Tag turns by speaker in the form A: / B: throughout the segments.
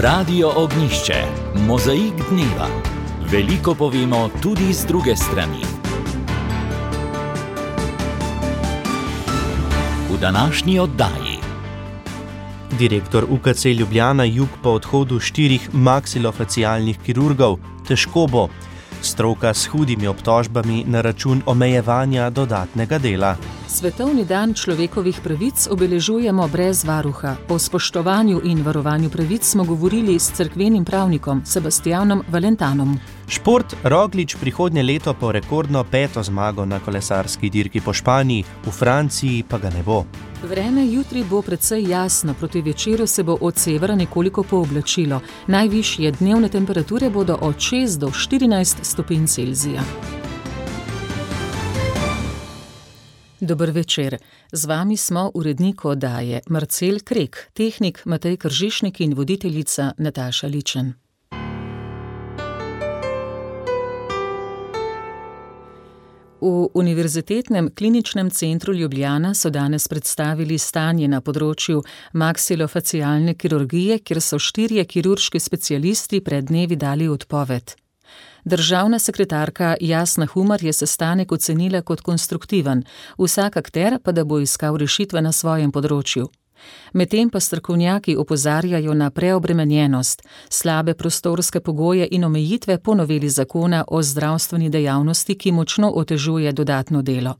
A: Radio Ognjišče, mozaik dneva. Veliko povemo tudi z druge strani. V današnji oddaji.
B: Direktor UKC Ljubljana Jug po odhodu 4 maksilofacialnih kirurgov. Težko bo. Stroka s hudimi obtožbami na račun omejevanja dodatnega dela.
C: Svetovni dan človekovih pravic obeležujemo brez varuha. O spoštovanju in varovanju pravic smo govorili s cerkvenim pravnikom Sebastianom Valentanom.
B: Šport. Roglič prihodnje leto po rekordno 5. zmago na kolesarski dirki po Španiji, v Franciji pa ga ne bo.
C: Vreme jutri bo precej jasno, proti večeru se bo od severa nekoliko pooblačilo. Najvišje dnevne temperature bodo od 6 do 14 stopinj Celzija. Dober večer. Z vami smo urednik oddaje Marcel Krek, tehnik Matej Kržišnik in voditeljica Nataša Ličen. V Univerzitetnem kliničnem centru Ljubljana so danes predstavili stanje na področju maksilofacialne kirurgije, kjer so 4 kirurški specialisti pred dnevi dali odpoved. Državna sekretarka Jasna Humar je sestanek ocenila kot konstruktiven, vsak akter pa da bo iskal rešitve na svojem področju. Medtem pa strokovnjaki opozarjajo na preobremenjenost, slabe prostorske pogoje in omejitve po noveli zakona o zdravstveni dejavnosti, ki močno otežuje dodatno delo.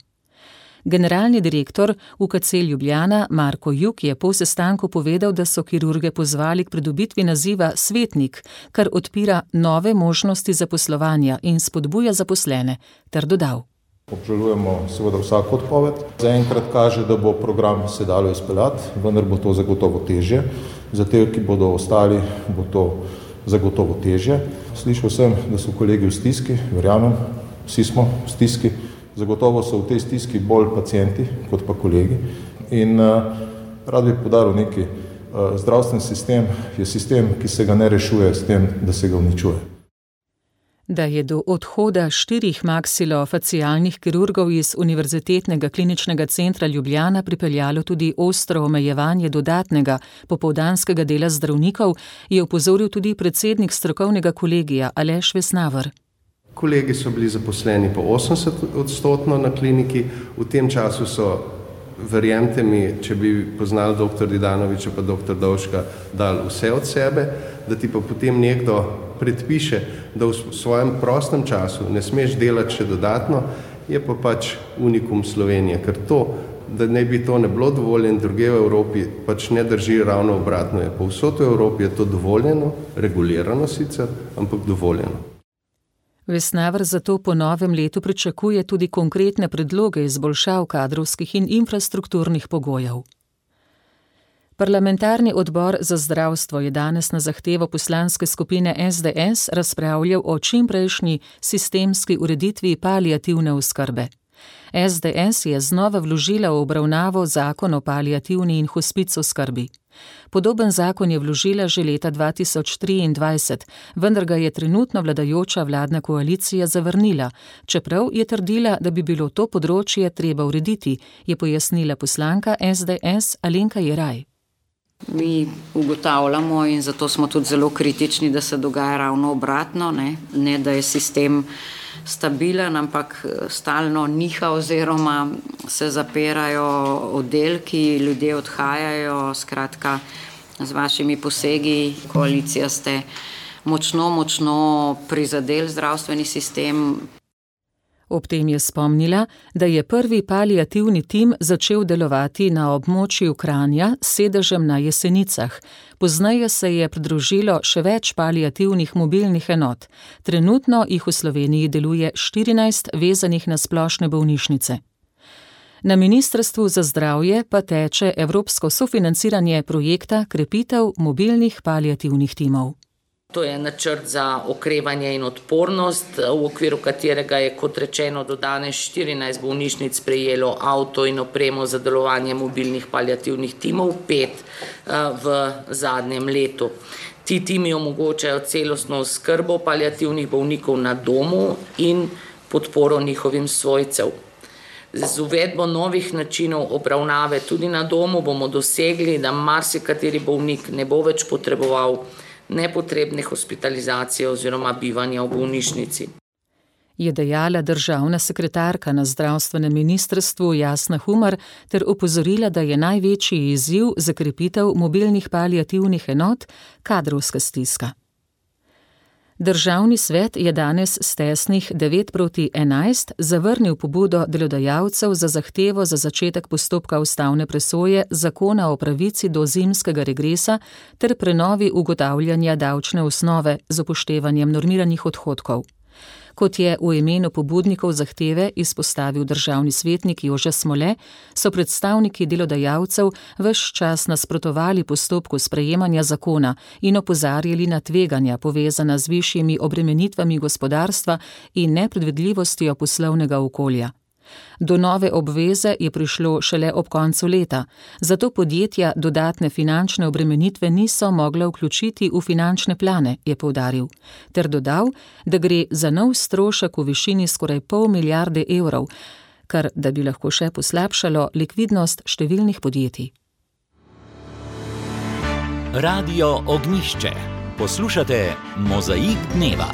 C: Generalni direktor UKC Ljubljana Marko Jug je po sestanku povedal, da so kirurge pozvali k pridobitvi naziva svetnik, kar odpira nove možnosti zaposlovanja in spodbuja zaposlene, ter dodal.
D: Obžalujemo seveda vsako odpoved. Zaenkrat kaže, da bo program se dalo izpeljati, vendar bo to zagotovo težje. Za te, ki bodo ostali, bo to zagotovo težje. Slišal sem, da so kolegi v stiski, verjamem, vsi smo v stiski. Zagotovo so v tej stiski bolj pacienti kot pa kolegi. In rad bi poudaril nekaj. Zdravstveni sistem je sistem, ki se ga ne rešuje s tem, da se ga uničuje.
C: Da je do odhoda 4 maksilofacialnih kirurgov iz Univerzitetnega kliničnega centra Ljubljana pripeljalo tudi ostro omejevanje dodatnega popoldanskega dela zdravnikov, je opozoril tudi predsednik strokovnega kolegija Aleš Vesnaver.
E: Kolegi so bili zaposleni po 80% na kliniki, v tem času so, verjemite mi, če bi poznali dr. Didanoviča pa dr. Dovška, dali vse od sebe, da ti pa potem nekdo predpiše, da v svojem prostem času ne smeš delati še dodatno, je pa pač unikum Slovenije, ker to, da ne bi to ne bilo dovoljeno druge v Evropi, pač ne drži, ravno obratno je. Povsod v Evropi je to dovoljeno, regulirano sicer, ampak dovoljeno.
C: Vesnaver zato po novem letu pričakuje tudi konkretne predloge izboljšav kadrovskih in infrastrukturnih pogojev. Parlamentarni odbor za zdravstvo je danes na zahtevo poslanske skupine SDS razpravljal o čimprejšnji sistemski ureditvi paliativne oskrbe. SDS je znova vložila v obravnavo zakon o paliativni in hospic oskrbi. Podoben zakon je vložila že leta 2023, vendar ga je trenutno vladajoča vladna koalicija zavrnila, čeprav je trdila, da bi bilo to področje treba urediti, je pojasnila poslanka SDS Alenka Jeraj.
F: Mi ugotavljamo in zato smo tudi zelo kritični, da se dogaja ravno obratno, ne da je sistem stabilen, ampak stalno niha oziroma se zapirajo oddelki, ljudje odhajajo, skratka z vašimi posegi, koalicija ste močno prizadeli zdravstveni sistem.
C: Ob tem je spomnila, da je prvi paliativni tim začel delovati na območju Kranja s sedežem na Jesenicah. Pozneje se je pridružilo še več paliativnih mobilnih enot. Trenutno jih v Sloveniji deluje 14 vezanih na splošne bolnišnice. Na Ministrstvu za zdravje pa teče evropsko sofinanciranje projekta krepitev mobilnih paliativnih timov.
G: To je načrt za okrevanje in odpornost, v okviru katerega je, kot rečeno, do danes 14 bolnišnic prejelo avto in opremo za delovanje mobilnih paliativnih timov, 5 v zadnjem letu. Ti timi omogočajo celostno oskrbo paliativnih bolnikov na domu in podporo njihovim svojcev. Z uvedbo novih načinov obravnave tudi na domu bomo dosegli, da marsikateri bolnik ne bo več potreboval nepotrebne hospitalizacije oziroma bivanja v bolnišnici.
C: Je dejala državna sekretarka na zdravstvenem ministrstvu Jasna Humar ter opozorila, da je največji izziv za krepitev mobilnih paliativnih enot kadrovska stiska. Državni svet je danes s tesnih 9-11 zavrnil pobudo delodajalcev za zahtevo za začetek postopka ustavne presoje zakona o pravici do zimskega regresa ter prenovi ugotavljanja davčne osnove z upoštevanjem normiranih odhodkov. Kot je v imenu pobudnikov zahteve izpostavil državni svetnik Jože Smole, so predstavniki delodajalcev ves čas nasprotovali postopku sprejemanja zakona in opozarjali na tveganja povezana z višjimi obremenitvami gospodarstva in nepredvidljivostjo poslovnega okolja. Do nove obveze je prišlo šele ob koncu leta, zato podjetja dodatne finančne obremenitve niso mogla vključiti v finančne plane, je poudaril, ter dodal, da gre za nov strošek v višini skoraj 0,5 milijarde evrov, kar da bi lahko še poslabšalo likvidnost številnih podjetij.
A: Radio Ognjišče. Poslušate Mozaik dneva.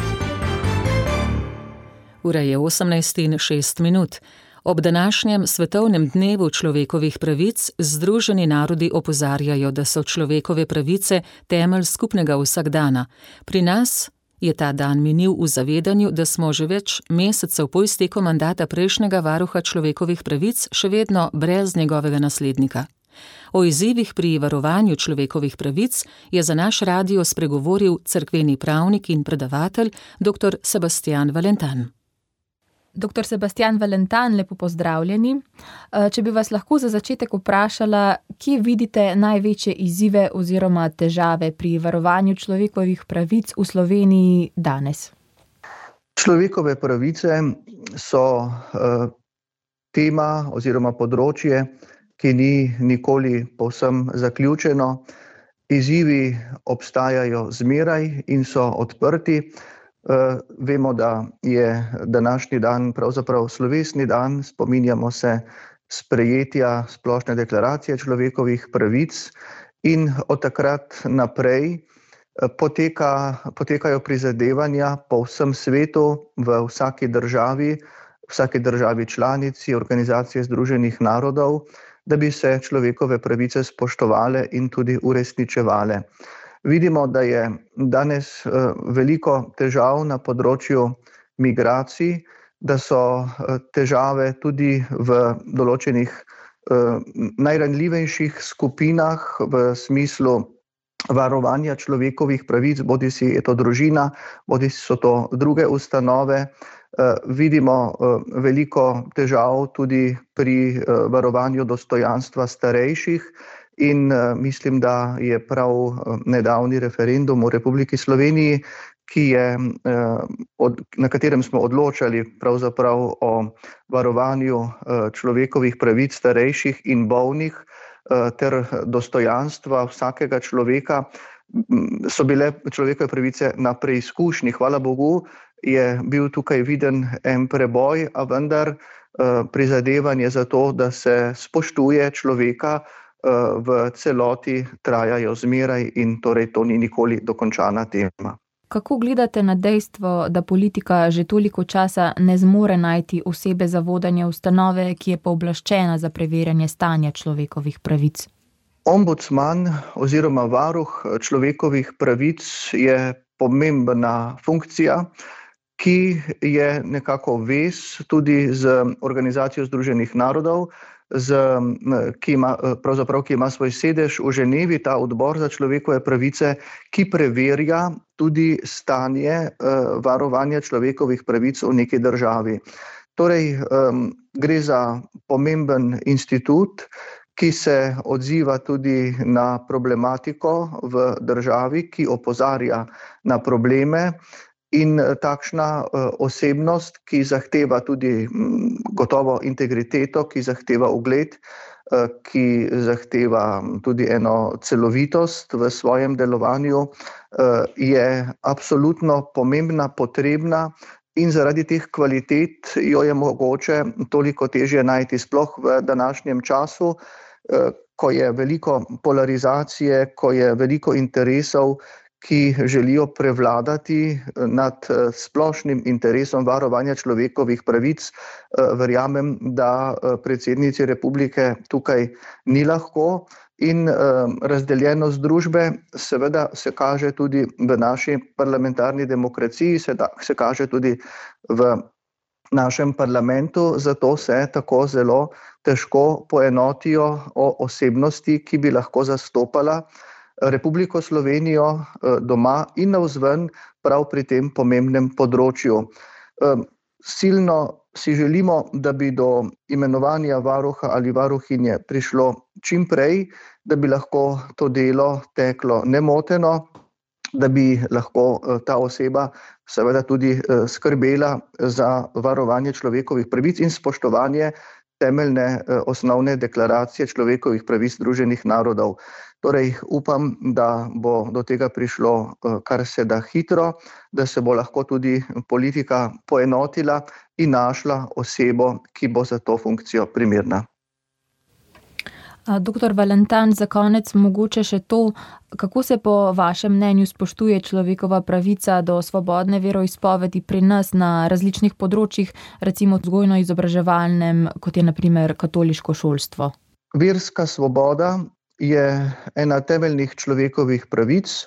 C: Ura je 18:06. Ob današnjem svetovnem dnevu človekovih pravic Združeni narodi opozarjajo, da so človekove pravice temelj skupnega vsakdana. Pri nas je ta dan minil v zavedanju, da smo že več mesecev po izteku mandata prejšnjega varuha človekovih pravic še vedno brez njegovega naslednika. O izzivih pri varovanju človekovih pravic je za naš radio spregovoril cerkveni pravnik in predavatelj dr. Sebastian Valentan.
H: Dr. Sebastian Valentan, lepo pozdravljeni. Če bi vas lahko za začetek vprašala, kje vidite največje izzive oziroma težave pri varovanju človekovih pravic v Sloveniji danes?
I: Človekove pravice so tema oziroma področje, ki ni nikoli povsem zaključeno. Izzivi obstajajo zmeraj in so odprti. Vemo, da je današnji dan pravzaprav slovesni dan, spominjamo se sprejetja Splošne deklaracije človekovih pravic in od takrat naprej potekajo prizadevanja po vsem svetu, v vsaki državi članici Organizacije Združenih narodov, da bi se človekove pravice spoštovale in tudi uresničevale. Vidimo, da je danes veliko težav na področju migracij, da so težave tudi v določenih najranljivejših skupinah v smislu varovanja človekovih pravic, bodisi je to družina, bodisi so to druge ustanove. Vidimo veliko težav tudi pri varovanju dostojanstva starejših. In mislim, da je prav nedavni referendum v Republiki Sloveniji, na katerem smo odločali pravzaprav o varovanju človekovih pravic starejših in bolnih ter dostojanstva vsakega človeka, so bile človekove pravice na preizkušnji. Hvala Bogu je bil tukaj viden en preboj, a vendar prizadevanje za to, da se spoštuje človeka, v celoti trajajo zmeraj in torej to ni nikoli dokončana tema.
H: Kako gledate na dejstvo, da politika že toliko časa ne zmore najti osebe za vodenje ustanove, ki je pooblaščena za preverjanje stanja človekovih pravic?
I: Ombudsman oziroma varuh človekovih pravic je pomembna funkcija, ki je nekako vez tudi z Organizacijo Združenih narodov, ki ima svoj sedež v Ženevi, ta odbor za človekove pravice, ki preverja tudi stanje varovanja človekovih pravic v neki državi. Torej, gre za pomemben institut, ki se odziva tudi na problematiko v državi, ki opozarja na probleme. In takšna osebnost, ki zahteva tudi gotovo integriteto, ki zahteva ugled, ki zahteva tudi eno celovitost v svojem delovanju, je absolutno pomembna, potrebna in zaradi teh kvalitet jo je mogoče toliko težje najti, sploh v današnjem času, ko je veliko polarizacije, ko je veliko interesov, ki želijo prevladati nad splošnim interesom varovanja človekovih pravic. Verjamem, da predsednici republike tukaj ni lahko in razdeljenost družbe seveda se kaže tudi v naši parlamentarni demokraciji, se kaže tudi v našem parlamentu, zato se tako zelo težko poenotijo o osebnosti, ki bi lahko zastopala Republiko Slovenijo doma in navzven prav pri tem pomembnem področju. Silno si želimo, da bi do imenovanja varuha ali varuhinje prišlo čim prej, da bi lahko to delo teklo nemoteno, da bi lahko ta oseba seveda tudi skrbela za varovanje človekovih pravic in spoštovanje temeljne osnovne deklaracije človekovih pravic Združenih narodov. Torej upam, da bo do tega prišlo kar se da hitro, da se bo lahko tudi politika poenotila in našla osebo, ki bo za to funkcijo primerna.
H: Doktor Valentan, za konec mogoče še to, kako se po vašem mnenju spoštuje človekova pravica do svobodne veroizpovedi pri nas na različnih področjih, recimo vzgojno-izobraževalnem, kot je na primer katoliško šolstvo?
I: Verska svoboda je ena temeljnih človekovih pravic,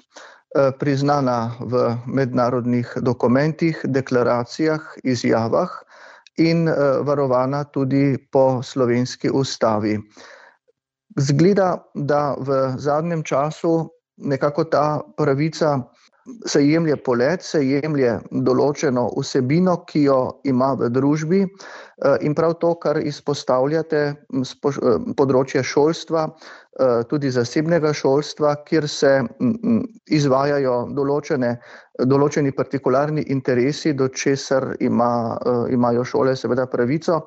I: priznana v mednarodnih dokumentih, deklaracijah, izjavah in varovana tudi po slovenski ustavi. Zgleda, da v zadnjem času nekako ta pravica se jemlje polet, se jemlje določeno vsebino, ki jo ima v družbi, in prav to, kar izpostavljate, področje šolstva, tudi zasebnega šolstva, kjer se izvajajo določeni partikularni interesi, do česar imajo šole seveda pravico.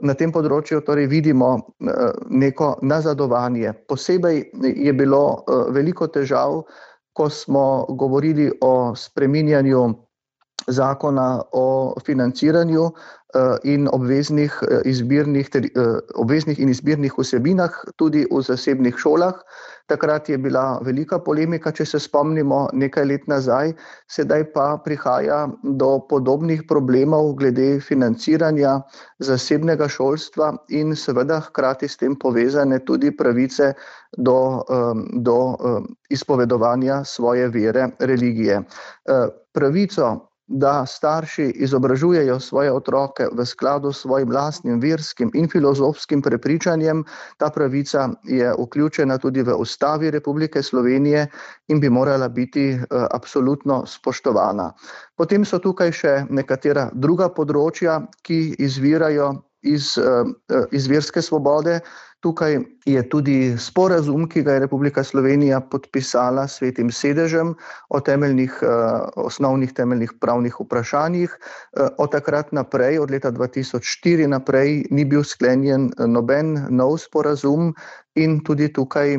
I: Na tem področju torej vidimo neko nazadovanje. Posebej je bilo veliko težav, ko smo govorili o spreminjanju zakona o financiranju in obveznih in izbirnih vsebinah tudi v zasebnih šolah. Takrat je bila velika polemika, če se spomnimo nekaj let nazaj, sedaj pa prihaja do podobnih problemov glede financiranja zasebnega šolstva in seveda hkrati s tem povezane tudi pravice do izpovedovanja svoje vere, religije. Pravico, da starši izobražujejo svoje otroke v skladu s svojim lastnim verskim in filozofskim prepričanjem, ta pravica je vključena tudi v Ustavi Republike Slovenije in bi morala biti absolutno spoštovana. Potem so tukaj še nekatera druga področja, ki izvirajo iz verske svobode. Tukaj je tudi sporazum, ki ga je Republika Slovenija podpisala s Svetim sedežem o osnovnih temeljnih pravnih vprašanjih. Od takrat naprej, od leta 2004 naprej, ni bil sklenjen noben nov sporazum in tudi tukaj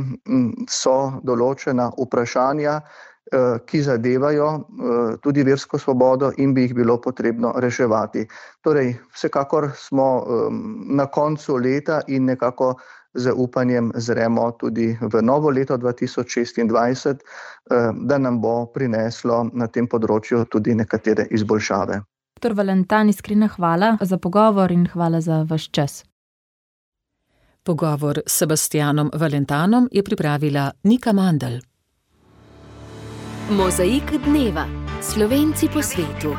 I: so določena vprašanja, ki zadevajo tudi versko svobodo in bi jih bilo potrebno reševati. Torej, vsekakor smo na koncu leta in nekako z upanjem zremo tudi v novo leto 2026, da nam bo prineslo na tem področju tudi nekatere izboljšave.
H: Dr. Valentan, iskrena hvala za pogovor in hvala za vaš čas.
C: Pogovor s Sebastianom Valentanom je pripravila Nika Mandl.
J: Mozaik dneva. Slovenci po svetu.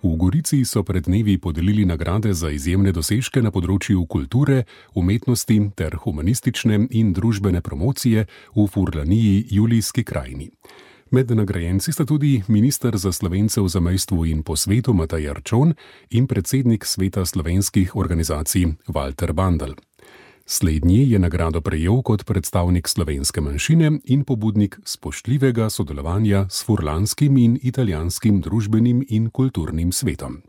K: V Gorici so pred dnevi podelili nagrade za izjemne dosežke na področju kulture, umetnosti ter humanistične in družbene promocije v Furlaniji, Julijski krajini. Med nagrajenci sta tudi minister za Slovence v zamejstvu in po svetu Matej Arčon in predsednik Sveta slovenskih organizacij Walter Bandl. Slednji je nagrado prejel kot predstavnik slovenske manjšine in pobudnik spoštljivega sodelovanja s furlanskim in italijanskim družbenim in kulturnim svetom.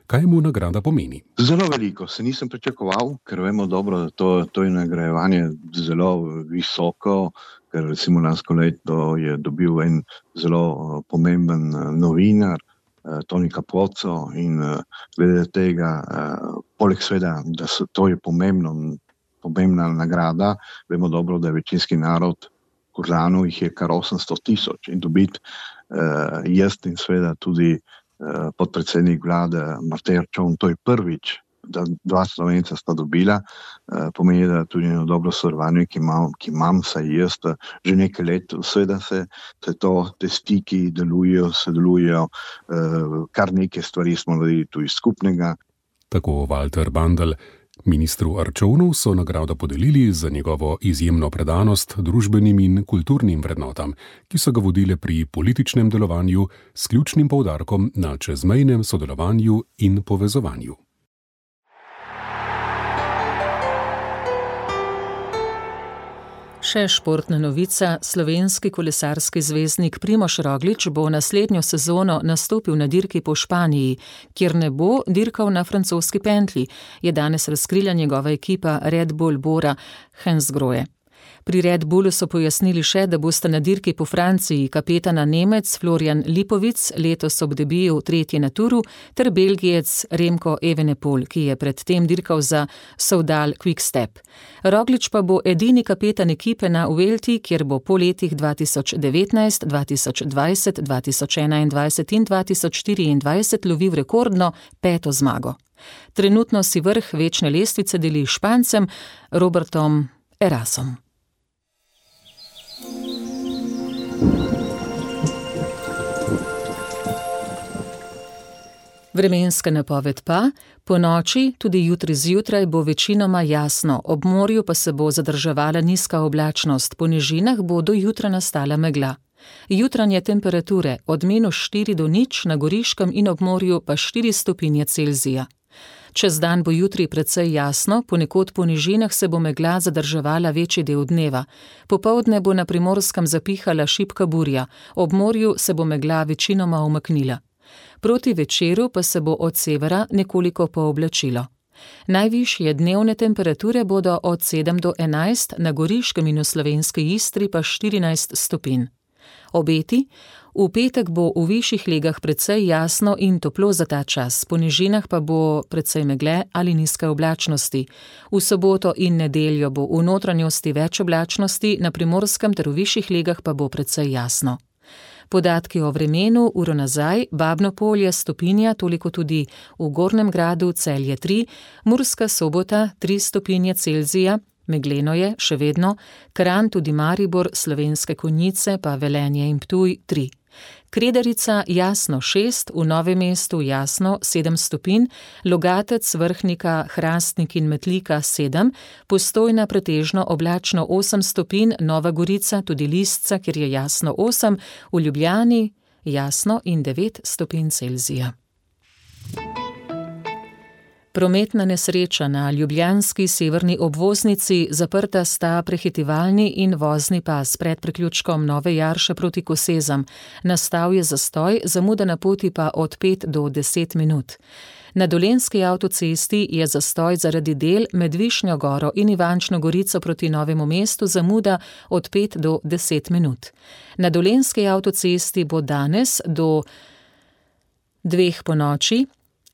K: Kaj mu nagrada pomeni?
L: Zelo veliko. Se nisem pričakoval, ker vemo dobro, da to je nagrajevanje zelo visoko, ker recimo lansko leto je dobil en zelo pomemben novinar, Toni Capozzo, in glede tega, poleg sveda, da to je pomembno, pomembna nagrada. Vemo dobro, da je večinski narod Furlanov, jih je kar 800,000 in dobiti jaz in seveda tudi podpredsednik vlade Matej Arčon, to je prvič, da dva Slovenca sta dobila, pomeni, da tudi eno dobro sodelovanje, ki imam, saj jaz že nekaj let, seveda se te stiki sodelujejo, kar nekaj stvari smo naredili tudi skupnega.
K: Tako Walter Bandl. Ministru Arčonu so nagrado podelili za njegovo izjemno predanost družbenim in kulturnim vrednotam, ki so ga vodile pri političnem delovanju s ključnim poudarkom na čezmejnem sodelovanju in povezovanju.
C: Še športna novica, slovenski kolesarski zvezdnik Primož Roglič bo naslednjo sezono nastopil na dirki po Španiji, kjer ne bo dirkal na francoski pentlji, je danes razkrila njegova ekipa Red Bull Bora Hansgrohe. Pri Red Bullu so pojasnili še, da bosta na dirki po Franciji kapetana Nemec Florian Lipovic, letos ob debiju 3. na Turu, ter Belgijec Remco Evenepoel, ki je predtem dirkal za Soudal Quick-Step. Roglič pa bo edini kapetan ekipe na Vuelti, kjer bo po letih 2019, 2020, 2021 in 2024 lovil rekordno 5. zmago. Trenutno si vrh večne lestvice deli Špancem Robertom Erasom. Vremenska napoved pa, po noči, tudi jutri zjutraj bo večinoma jasno, ob morju pa se bo zadrževala nizka oblačnost, po nižinah bo do jutra nastala megla. Jutranje temperature od -4 do 0, na Goriškem in ob morju pa 4 stopinje Celzija. Čez dan bo jutri precej jasno, ponekod po nižinah se bo megla zadrževala večji del dneva. Popoldne bo na Primorskem zapihala šibka burja, ob morju se bo megla večinoma umaknila. Proti večeru pa se bo od severa nekoliko pooblačilo. Najvišje dnevne temperature bodo od 7 do 11, na Goriškem in v slovenski Istri pa 14 stopinj. Obeti: v petek bo v višjih legah precej jasno in toplo za ta čas, po nižinah pa bo precej megle ali nizke oblačnosti. V soboto in nedeljo bo v notranjosti več oblačnosti, na Primorskem ter v višjih legah pa bo precej jasno. Podatki o vremenu, uro nazaj, Babno Polje stopinja, toliko tudi v Gornjem Gradu, Celje 3, Murska Sobota 3 stopinje Celzija, megleno je še vedno, Kranj, tudi Maribor, Slovenske Konjice pa Velenje in Ptuj 3. Kredarica jasno 6, v Novem mestu jasno 7 stopinj, Logatec, Vrhnika, Hrastnik in Metlika 7, Postojna pretežno oblačno 8 stopinj, Nova Gorica, tudi Lisca, kjer je jasno 8, v Ljubljani jasno in 9 stopinj Celzija. Prometna nesreča na ljubljanski severni obvoznici, zaprta sta prehitevalni in vozni pas pred priključkom Nove Jarše proti Kosezam. Nastal je zastoj, zamuda na poti pa od 5 do 10 minut. Na Dolenjski avtocesti je zastoj zaradi del med Višnjo Goro in Ivančno Gorico proti Novemu mestu, zamuda od 5 do 10 minut. Na Dolenjski avtocesti bo danes do 2 ponoči,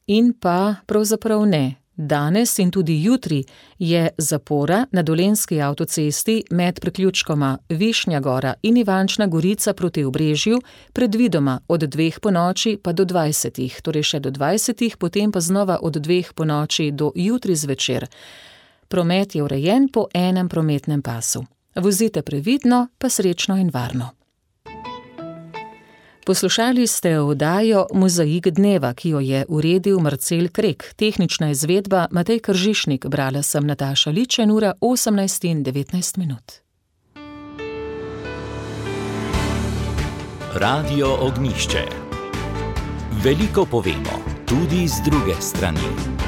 C: in pa pravzaprav ne. Danes in tudi jutri je zapora na Dolenjski avtocesti med priključkoma Višnja Gora in Ivančna Gorica proti Obrežju, predvidoma od 2 ponoči pa do 20, torej še do 20, potem pa znova od 2 ponoči do jutri zvečer. Promet je urejen po enem prometnem pasu. Vozite previdno, pa srečno in varno. Poslušali ste oddajo Mozaik dneva, ki jo je uredil Marcel Krek, tehnična izvedba Matej Kržišnik, brala sem Nataša Ličen, ura 18:19.
A: Radio Ognjišče. Veliko povemo, tudi z druge strani.